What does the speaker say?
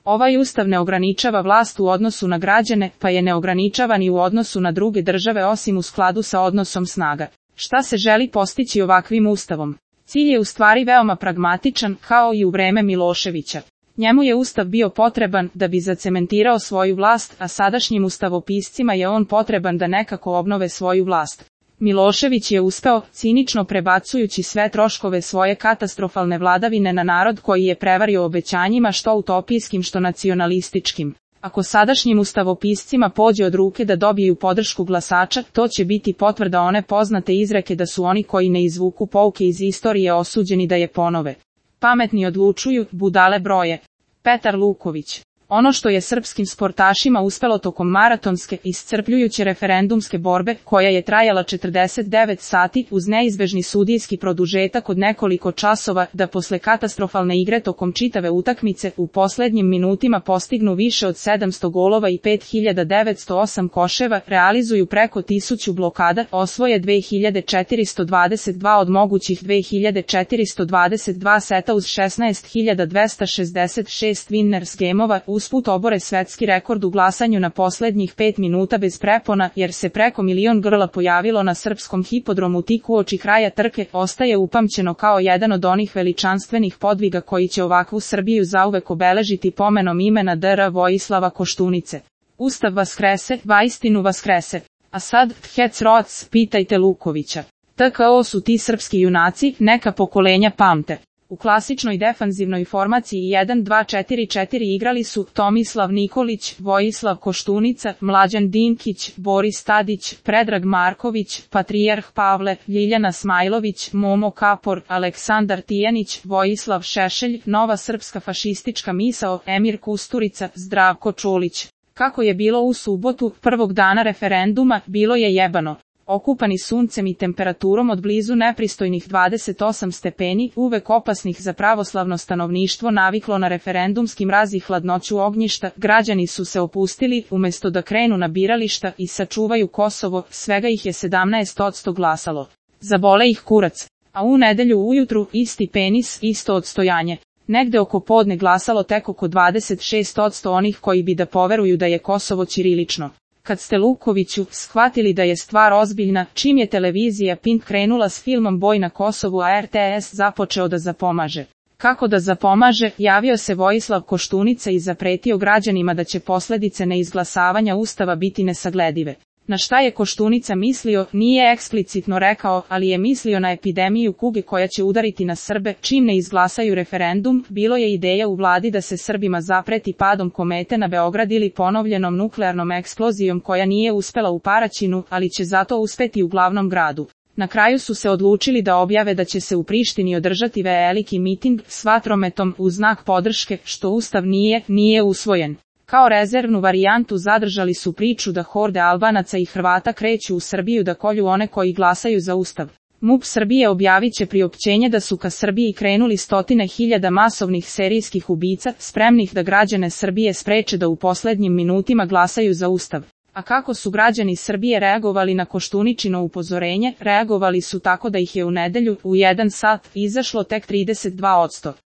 Ovaj ustav ne ograničava vlast u odnosu na građane, pa je ne ograničava ni u odnosu na druge države osim u skladu sa odnosom snaga. Šta se želi postići ovakvim ustavom? Cilj je u stvari veoma pragmatičan, kao i u vreme Miloševića. Njemu je ustav bio potreban da bi zacementirao svoju vlast, a sadašnjim ustavopiscima je on potreban da nekako obnove svoju vlast. Milošević je uspeo, cinično prebacujući sve troškove svoje katastrofalne vladavine na narod koji je prevario obećanjima što utopijskim što nacionalističkim. Ako sadašnjim ustavopiscima pođe od ruke da dobiju podršku glasača, to će biti potvrda one poznate izreke da su oni koji ne izvuku pouke iz istorije osuđeni da je ponove. Pametni odlučuju, budale broje. Petar Luković. Ono što je srpskim sportašima uspelo tokom maratonske, iscrpljujuće referendumske borbe, koja je trajala 49 sati uz neizbežni sudijski produžetak od nekoliko časova, da posle katastrofalne igre tokom čitave utakmice u poslednjim minutima postignu više od 700 golova i 5908 koševa, realizuju preko 1000 blokada, osvoje 2422 od mogućih 2422 seta uz 16266 winners gameova, usput obore svetski rekord u glasanju na poslednjih 5 minuta bez prepona, jer se preko milion grla pojavilo na srpskom hipodromu tik uoči kraja trke, ostaje upamćeno kao jedan od onih veličanstvenih podviga koji će ovakvu Srbiju zauvek obeležiti pomenom imena dr. Vojislava Koštunice. Ustav vaskrese, vaistinu vaskrese. A sad, hec roc, pitajte Lukovića. TKO su ti srpski junaci, neka pokolenja pamte. U klasičnoj defanzivnoj formaciji 1-2-4-4 igrali su Tomislav Nikolić, Vojislav Koštunica, Mlađan Dinkić, Boris Tadić, Predrag Marković, Patrijarh Pavle, Ljiljana Smajlović, Momo Kapor, Aleksandar Tijanić, Vojislav Šešelj, Nova srpska fašistička misao, Emir Kusturica, Zdravko Čolić. Kako je bilo u subotu, prvog dana referenduma, bilo je jebano. Okupani suncem i temperaturom od blizu nepristojnih 28 stepeni, uvek opasnih za pravoslavno stanovništvo naviklo na referendumski mraz i hladnoću ognjišta, građani su se opustili, umesto da krenu na birališta i sačuvaju Kosovo, svega ih je 17% glasalo. Zabole ih kurac. A u nedelju ujutru, isti penis, isto odstojanje. Negde oko podne glasalo tek oko 26% onih koji bi da poveruju da je Kosovo ćirilično. Kad ste Lukoviću shvatili da je stvar ozbiljna, čim je televizija Pink krenula s filmom Boj na Kosovu, a RTS započeo da zapomaže. Kako da zapomaže, javio se Vojislav Koštunica i zapretio građanima da će posledice neizglasavanja ustava biti nesagledive. Na šta je Koštunica mislio, nije eksplicitno rekao, ali je mislio na epidemiju kuge koja će udariti na Srbe, čim ne izglasaju referendum. Bilo je ideja u vladi da se Srbima zapreti padom komete na Beograd ili ponovljenom nuklearnom eksplozijom koja nije uspela u Paraćinu, ali će zato uspeti u glavnom gradu. Na kraju su se odlučili da objave da će se u Prištini održati veliki miting s vatrometom u znak podrške, što ustav nije usvojen. Kao rezervnu varijantu zadržali su priču da horde Albanaca i Hrvata kreću u Srbiju da kolju one koji glasaju za ustav. MUP Srbije objavit će priopćenje da su ka Srbiji krenuli stotine hiljada masovnih serijskih ubica, spremnih da građane Srbije spreče da u poslednjim minutima glasaju za ustav. A kako su građani Srbije reagovali na Koštuničino upozorenje? Reagovali su tako da ih je u nedelju, u 1 sat, izašlo tek 32%.